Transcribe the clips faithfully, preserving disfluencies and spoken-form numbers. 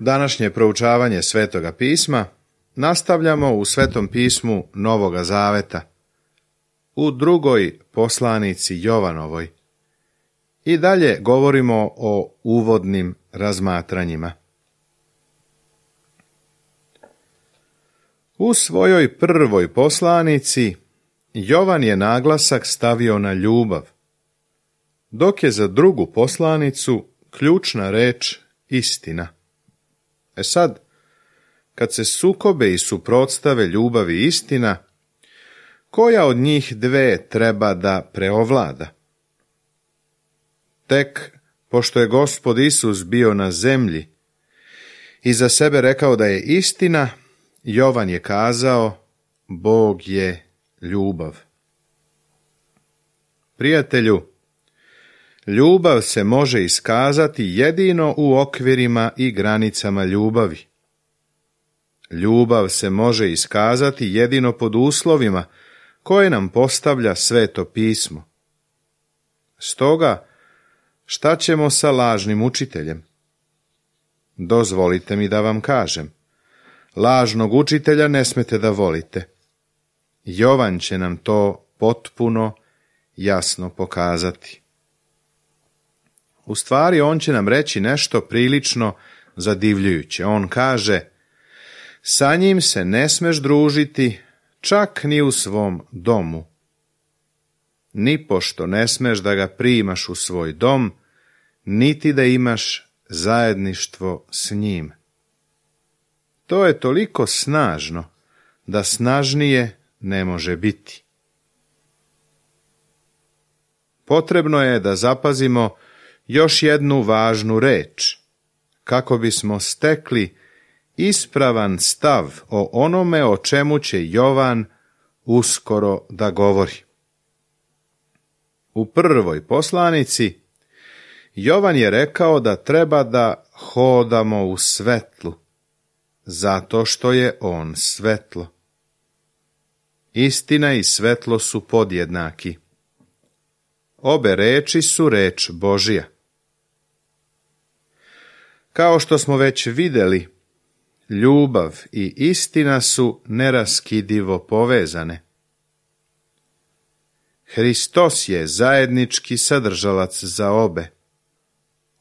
Današnje proučavanje Svetoga pisma nastavljamo u Svetom pismu Novoga Zaveta, u drugoj poslanici Jovanovoj. I dalje govorimo o uvodnim razmatranjima. U svojoj prvoj poslanici Jovan je naglasak stavio na ljubav, dok je za drugu poslanicu ključna reč istina. E sad, kad se sukobe i suprotstave ljubav i istina, koja od njih dve treba da preovlada? Tek, pošto je Gospod Isus bio na zemlji i za sebe rekao da je istina, Jovan je kazao, Bog je ljubav. Prijatelju, ljubav se može iskazati jedino u okvirima i granicama ljubavi. Ljubav se može iskazati jedino pod uslovima koje nam postavlja Sveto pismo. Stoga, šta ćemo sa lažnim učiteljem? Dozvolite mi da vam kažem, lažnog učitelja ne smete da volite. Jovan će nam to potpuno jasno pokazati. U stvari, on će nam reći nešto prilično zadivljujuće. On kaže, sa njim se ne smeš družiti čak ni u svom domu. Nipošto ne smeš da ga primaš u svoj dom, niti da imaš zajedništvo s njim. To je toliko snažno da snažnije ne može biti. Potrebno je da zapazimo još jednu važnu reč, kako bismo stekli ispravan stav o onome o čemu će Jovan uskoro da govori. U prvoj poslanici Jovan je rekao da treba da hodamo u svetlu, zato što je on svetlo. Istina i svetlo su podjednaki. Obe reči su reč Božija. Kao što smo već vidjeli, ljubav i istina su neraskidivo povezane. Hristos je zajednički sadržalac za obe.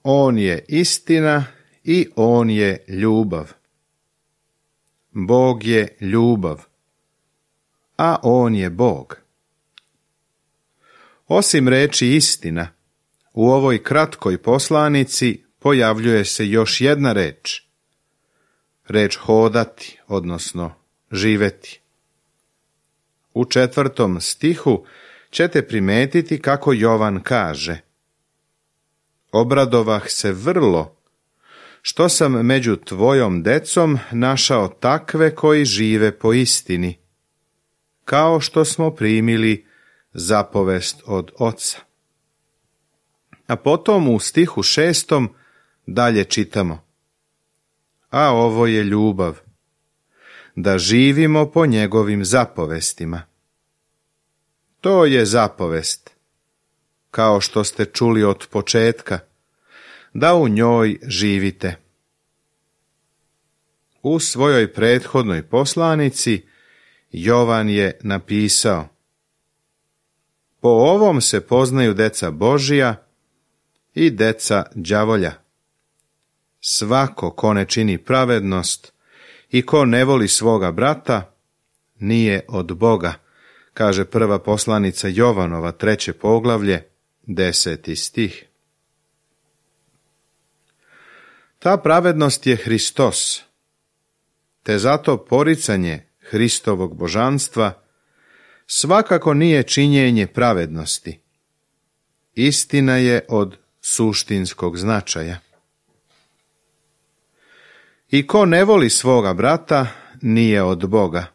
On je istina i on je ljubav. Bog je ljubav, a on je Bog. Osim reči istina, u ovoj kratkoj poslanici pojavljuje se još jedna reč. Reč hodati, odnosno živeti. U četvrtom stihu ćete primetiti kako Jovan kaže: Obradovah se vrlo, što sam među tvojom decom našao takve koji žive po istini, kao što smo primili zapovest od Oca. A potom u stihu šestom dalje čitamo: A ovo je ljubav, da živimo po njegovim zapovestima. To je zapovest, kao što ste čuli od početka, da u njoj živite. U svojoj prethodnoj poslanici Jovan je napisao: Po ovom se poznaju deca Božija i deca đavolja. Svako ko ne čini pravednost i ko ne voli svoga brata, nije od Boga, kaže prva poslanica Jovanova, treće poglavlje, deseti stih. Ta pravednost je Hristos, te zato poricanje Hristovog božanstva svakako nije činjenje pravednosti. Istina je od suštinskog značaja. I ko ne voli svoga brata, nije od Boga.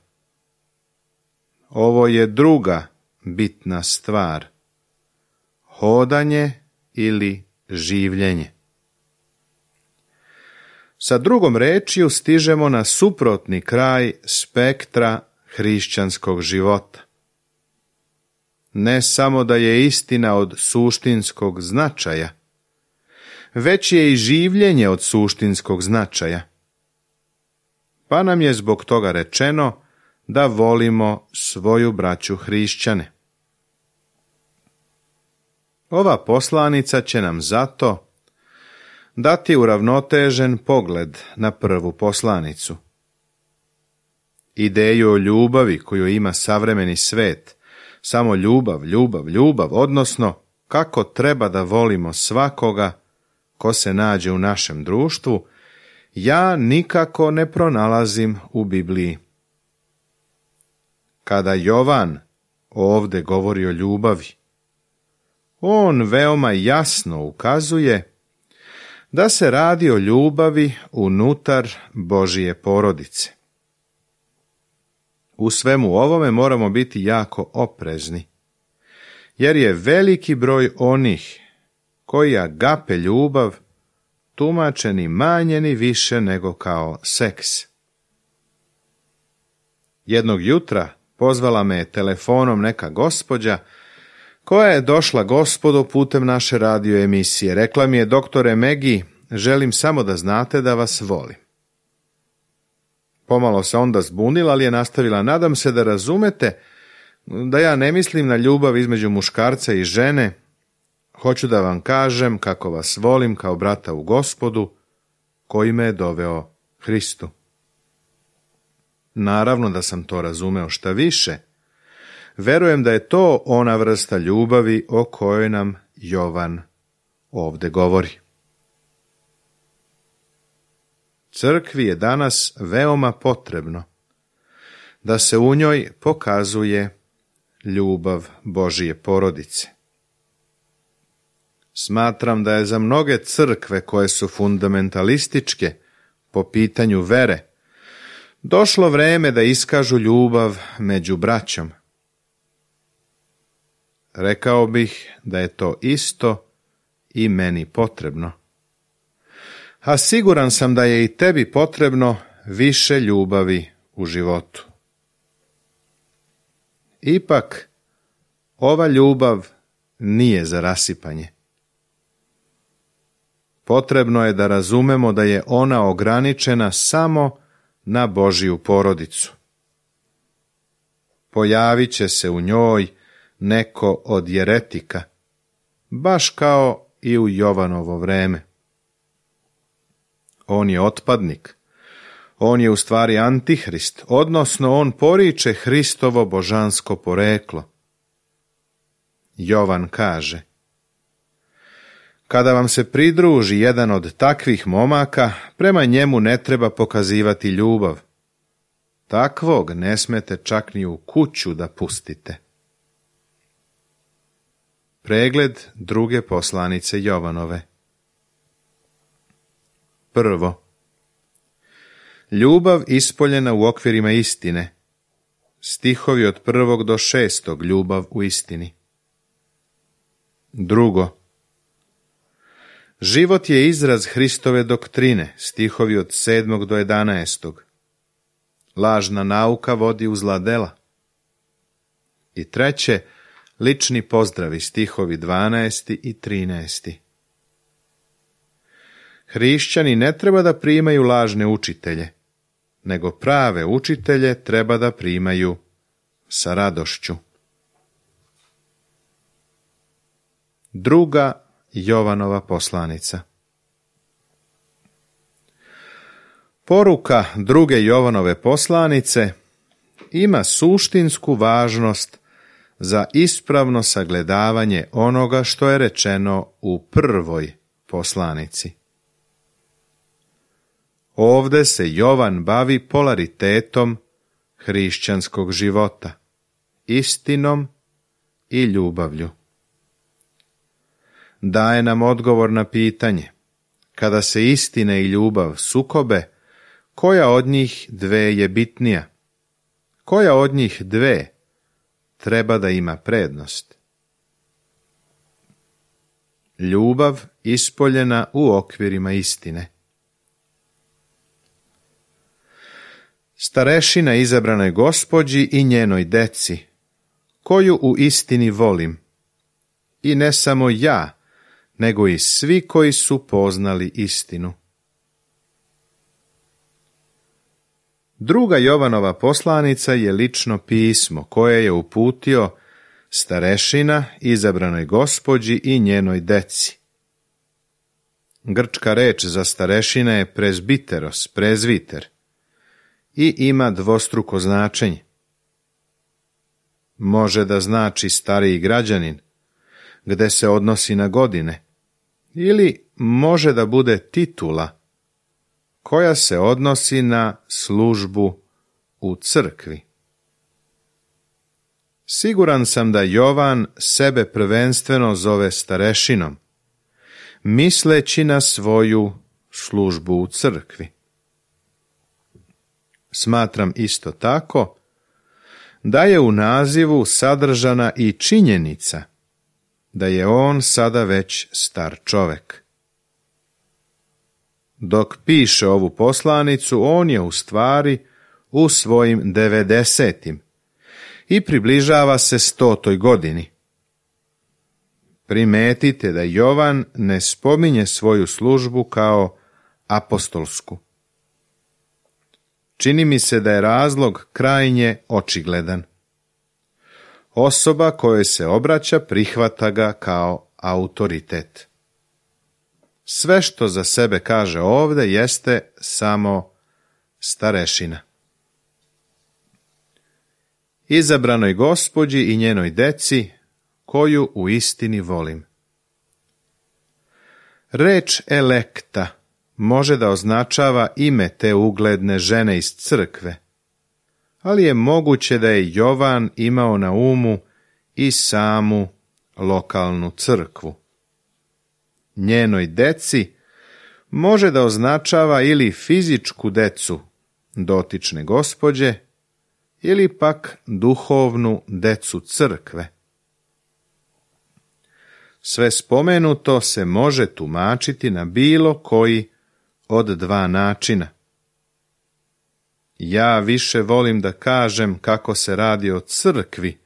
Ovo je druga bitna stvar. Hodanje ili življenje. Sa drugom rečju stižemo na suprotni kraj spektra hrišćanskog života. Ne samo da je istina od suštinskog značaja, već je i življenje od suštinskog značaja. pa nam je zbog toga rečeno da volimo svoju braću hrišćane. Ova poslanica će nam zato dati uravnotežen pogled na prvu poslanicu. Ideju o ljubavi koju ima savremeni svet, samo ljubav, ljubav, ljubav, odnosno kako treba da volimo svakoga ko se nađe u našem društvu, ja nikako ne pronalazim u Bibliji. Kada Jovan ovdje govori o ljubavi, on veoma jasno ukazuje da se radi o ljubavi unutar Božije porodice. U svemu ovome moramo biti jako oprezni, jer je veliki broj onih koji agape ljubav tumače ni manje ni više nego kao seks. Jednog jutra pozvala me telefonom neka gospođa koja je došla Gospodu putem naše radio emisije. Rekla mi je: doktore Megi, želim samo da znate da vas volim. Pomalo se onda zbunila, ali je nastavila: nadam se da razumete da ja ne mislim na ljubav između muškarca i žene. Hoću da vam kažem kako vas volim kao brata u Gospodu, koji me je doveo Hristu. Naravno da sam to razumeo, šta više. Verujem da je to ona vrsta ljubavi o kojoj nam Jovan ovdje govori. Crkvi je danas veoma potrebno da se u njoj pokazuje ljubav Božije porodice. Smatram da je za mnoge crkve koje su fundamentalističke po pitanju vere došlo vreme da iskažu ljubav među braćom. Rekao bih da je to isto i meni potrebno. A siguran sam da je i tebi potrebno više ljubavi u životu. Ipak, ova ljubav nije za rasipanje. Potrebno je da razumemo da je ona ograničena samo na Božiju porodicu. Pojavit će se u njoj neko od jeretika, baš kao i u Jovanovo vreme. On je otpadnik, on je u stvari antihrist, odnosno on poriče Hristovo božansko poreklo. Jovan kaže: kada vam se pridruži jedan od takvih momaka, prema njemu ne treba pokazivati ljubav. Takvog ne smete čak ni u kuću da pustite. Pregled druge poslanice Jovanove. Prvo, ljubav ispoljena u okvirima istine. Stihovi od prvog do šestog, ljubav u istini. Drugo, život je izraz Hristove doktrine. Stihovi od sedmog do jedanaestog. Lažna nauka vodi u zla dela. I treće, lični pozdravi. Stihovi dvanaesti i trinaesti. Hrišćani ne treba da primaju lažne učitelje, nego prave učitelje treba da primaju sa radošću. Druga Jovanova poslanica. Poruka druge Jovanove poslanice ima suštinsku važnost za ispravno sagledavanje onoga što je rečeno u prvoj poslanici. Ovde se Jovan bavi polaritetom hrišćanskog života, istinom i ljubavlju. Daje nam odgovor na pitanje: kada se istina i ljubav sukobe, koja od njih dve je bitnija? Koja od njih dve treba da ima prednost? Ljubav ispoljena u okvirima istine. Starešina izabranoj gospođi i njenoj deci, koju u istini volim, i ne samo ja, nego i svi koji su poznali istinu. Druga Jovanova poslanica je lično pismo koje je uputio starešina izabranoj gospođi i njenoj deci. Grčka reč za starešina je presbiteros, prezviter, i ima dvostruko značenje. Može da znači stariji građanin, gde se odnosi na godine, ili može da bude titula, koja se odnosi na službu u crkvi. Siguran sam da Jovan sebe prvenstveno zove starešinom, misleći na svoju službu u crkvi. Smatram isto tako da je u nazivu sadržana i činjenica da je on sada već star čovek. Dok piše ovu poslanicu, on je u stvari u svojim devedesetim i približava se stotoj godini. Primetite da Jovan ne spominje svoju službu kao apostolsku. Čini mi se da je razlog krajnje očigledan. Osoba kojoj se obraća prihvata ga kao autoritet. Sve što za sebe kaže ovde jeste samo starešina. Izabranoj gospođi i njenoj deci, koju u istini volim. Reč elekta može da označava ime te ugledne žene iz crkve, ali je moguće da je Jovan imao na umu i samu lokalnu crkvu. Njenoj deci može da označava ili fizičku decu dotične gospođe, ili pak duhovnu decu crkve. Sve spomenuto se može tumačiti na bilo koji od dva načina. Ja više volim da kažem kako se radi o crkvi,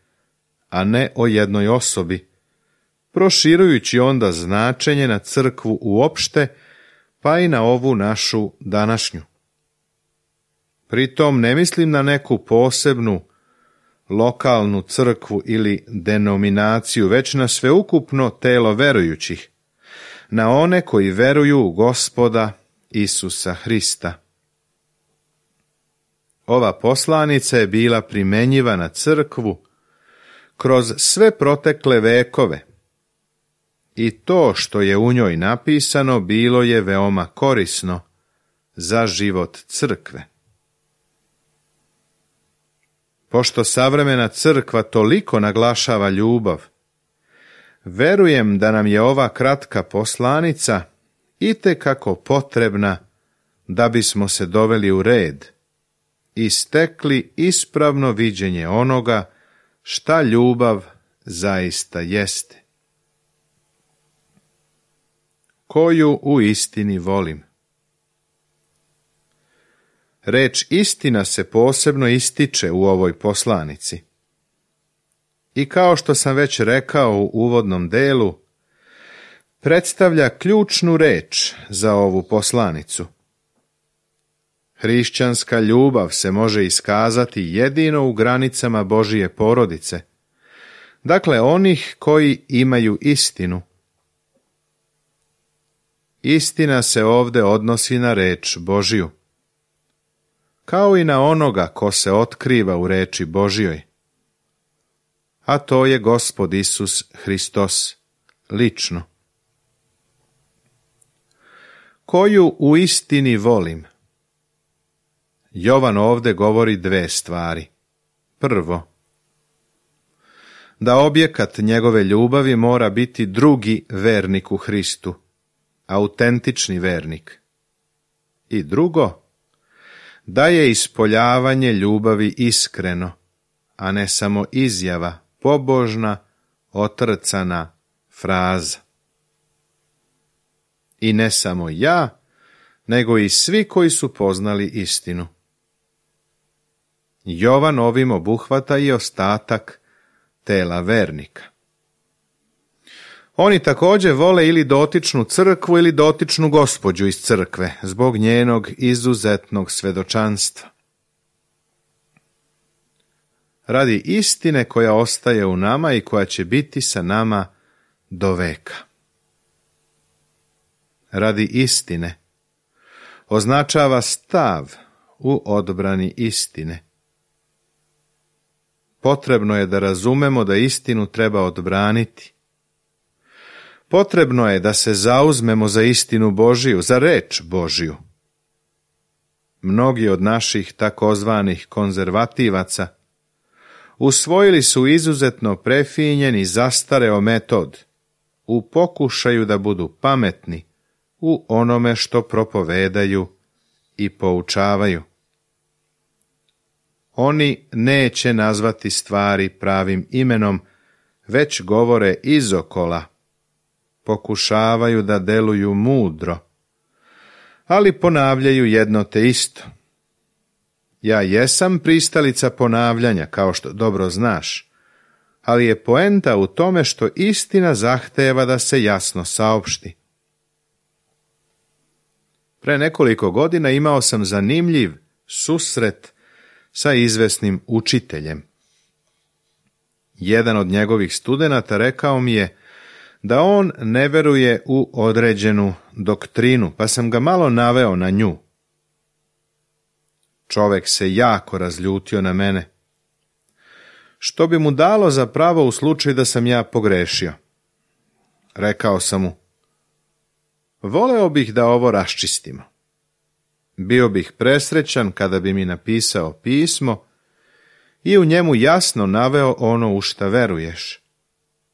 a ne o jednoj osobi, proširujući onda značenje na crkvu uopšte, pa i na ovu našu današnju. Pritom ne mislim na neku posebnu lokalnu crkvu ili denominaciju, već na sveukupno telo verujućih, na one koji veruju u Gospoda Isusa Hrista. Ova poslanica je bila primenjiva na crkvu kroz sve protekle vekove i to što je u njoj napisano bilo je veoma korisno za život crkve. Pošto savremena crkva toliko naglašava ljubav, verujem da nam je ova kratka poslanica itekako potrebna da bismo se doveli u red i stekli ispravno viđenje onoga šta ljubav zaista jeste. Koju u istini volim. Reč istina se posebno ističe u ovoj poslanici. I kao što sam već rekao u uvodnom delu, predstavlja ključnu reč za ovu poslanicu. Hrišćanska ljubav se može iskazati jedino u granicama Božije porodice, dakle onih koji imaju istinu. Istina se ovde odnosi na reč Božiju, kao i na onoga ko se otkriva u reči Božjoj, a to je Gospod Isus Hristos, lično. Koju u istini volim? Jovan ovde govori dve stvari. Prvo, da objekat njegove ljubavi mora biti drugi vernik u Hristu, autentični vernik. I drugo, da je ispoljavanje ljubavi iskreno, a ne samo izjava, pobožna, otrcana fraza. I ne samo ja, nego i svi koji su poznali istinu. Jovan ovim obuhvata i ostatak tela vernika. Oni također vole ili dotičnu crkvu ili dotičnu gospođu iz crkve, zbog njenog izuzetnog svedočanstva. radi istine koja ostaje u nama i koja će biti sa nama do veka. Radi istine označava stav u odbrani istine. Potrebno je da razumemo da istinu treba odbraniti. Potrebno je da se zauzmemo za istinu Božiju, za reč Božiju. Mnogi od naših takozvanih konzervativaca usvojili su izuzetno prefinjen i zastareo metod u pokušaju da budu pametni u onome što propovedaju i poučavaju. Oni neće nazvati stvari pravim imenom, već govore izokola, pokušavaju da deluju mudro, ali ponavljaju jedno te isto. Ja jesam pristalica ponavljanja, kao što dobro znaš, ali je poenta u tome što istina zahteva da se jasno saopšti. Pre nekoliko godina imao sam zanimljiv susret sa izvesnim učiteljem. Jedan od njegovih studenata rekao mi je da on ne veruje u određenu doktrinu, pa sam ga malo naveo na nju. Čovek se jako razljutio na mene, što bi mu dalo za pravo u slučaju da sam ja pogrešio. Rekao sam mu, voleo bih da ovo raščistimo. Bio bih presrećan kada bi mi napisao pismo i u njemu jasno naveo ono u šta veruješ.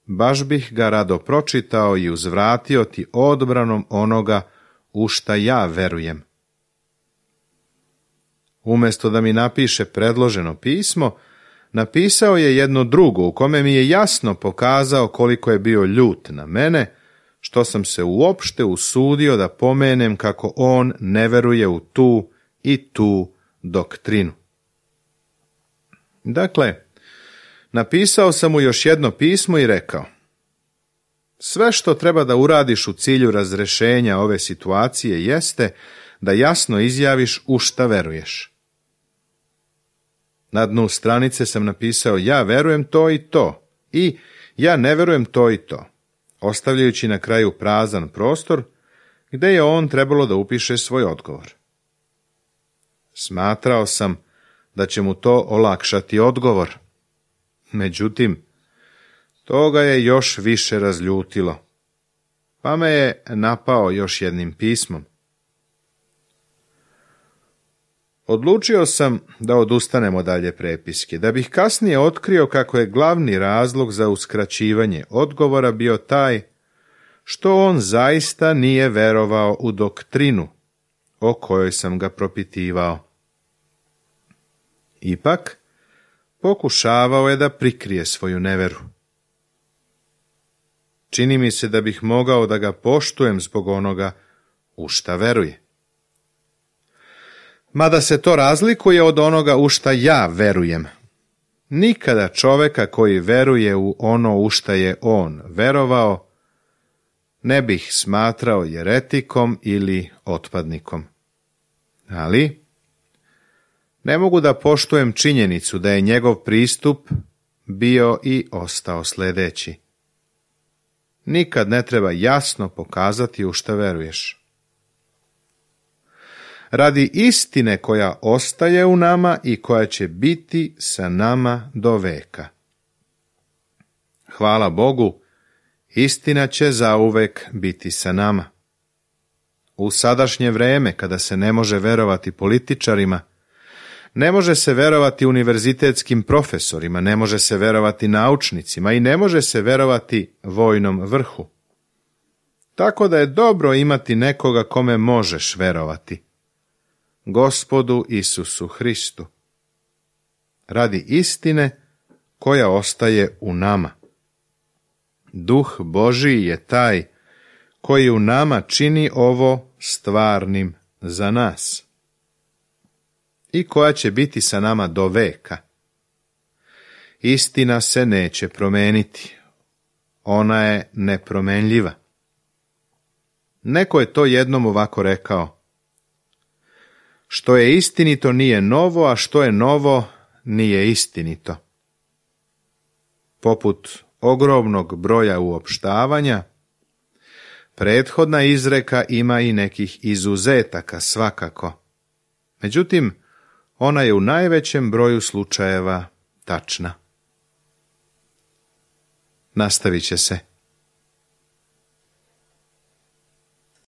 Baš bih ga rado pročitao i uzvratio ti odbranom onoga u šta ja verujem. Umjesto da mi napiše predloženo pismo, napisao je jedno drugo u kome mi je jasno pokazao koliko je bio ljut na mene, što sam se uopšte usudio da pomenem kako on ne veruje u tu i tu doktrinu. Dakle, napisao sam mu još jedno pismo i rekao, sve što treba da uradiš u cilju razrešenja ove situacije jeste da jasno izjaviš u šta veruješ. Na dnu stranice sam napisao, ja verujem to i to i ja ne verujem to i to, ostavljajući na kraju prazan prostor gde je on trebalo da upiše svoj odgovor. Smatrao sam da će mu to olakšati odgovor. Međutim, to ga je još više razljutilo, pa me je napao još jednim pismom. Odlučio sam da odustanemo dalje prepiske, da bih kasnije otkrio kako je glavni razlog za uskraćivanje odgovora bio taj što on zaista nije verovao u doktrinu o kojoj sam ga propitivao. Ipak, pokušavao je da prikrije svoju neveru. Čini mi se da bih mogao da ga poštujem zbog onoga u šta veruje. Mada se to razlikuje od onoga u šta ja verujem. Nikada čoveka koji veruje u ono u šta je on verovao, ne bih smatrao jeretikom ili otpadnikom. Ali ne mogu da poštujem činjenicu da je njegov pristup bio i ostao sljedeći. Nikad ne treba jasno pokazati u šta veruješ. Radi istine koja ostaje u nama i koja će biti sa nama do veka. Hvala Bogu, istina će zauvek biti sa nama. U sadašnje vreme, kada se ne može verovati političarima, ne može se verovati univerzitetskim profesorima, ne može se verovati naučnicima i ne može se verovati vojnom vrhu. Tako da je dobro imati nekoga kome možeš verovati. Gospodu Isusu Hristu. Radi istine koja ostaje u nama. Duh Božiji je taj koji u nama čini ovo stvarnim za nas i koja će biti sa nama do veka. Istina se neće promeniti. Ona je nepromenljiva. Neko je to jednom ovako rekao. Što je istinito nije novo, a što je novo nije istinito. poput ogromnog broja uopštavanja, prethodna izreka ima i nekih izuzetaka svakako. Međutim, ona je u najvećem broju slučajeva tačna. Nastavit će se.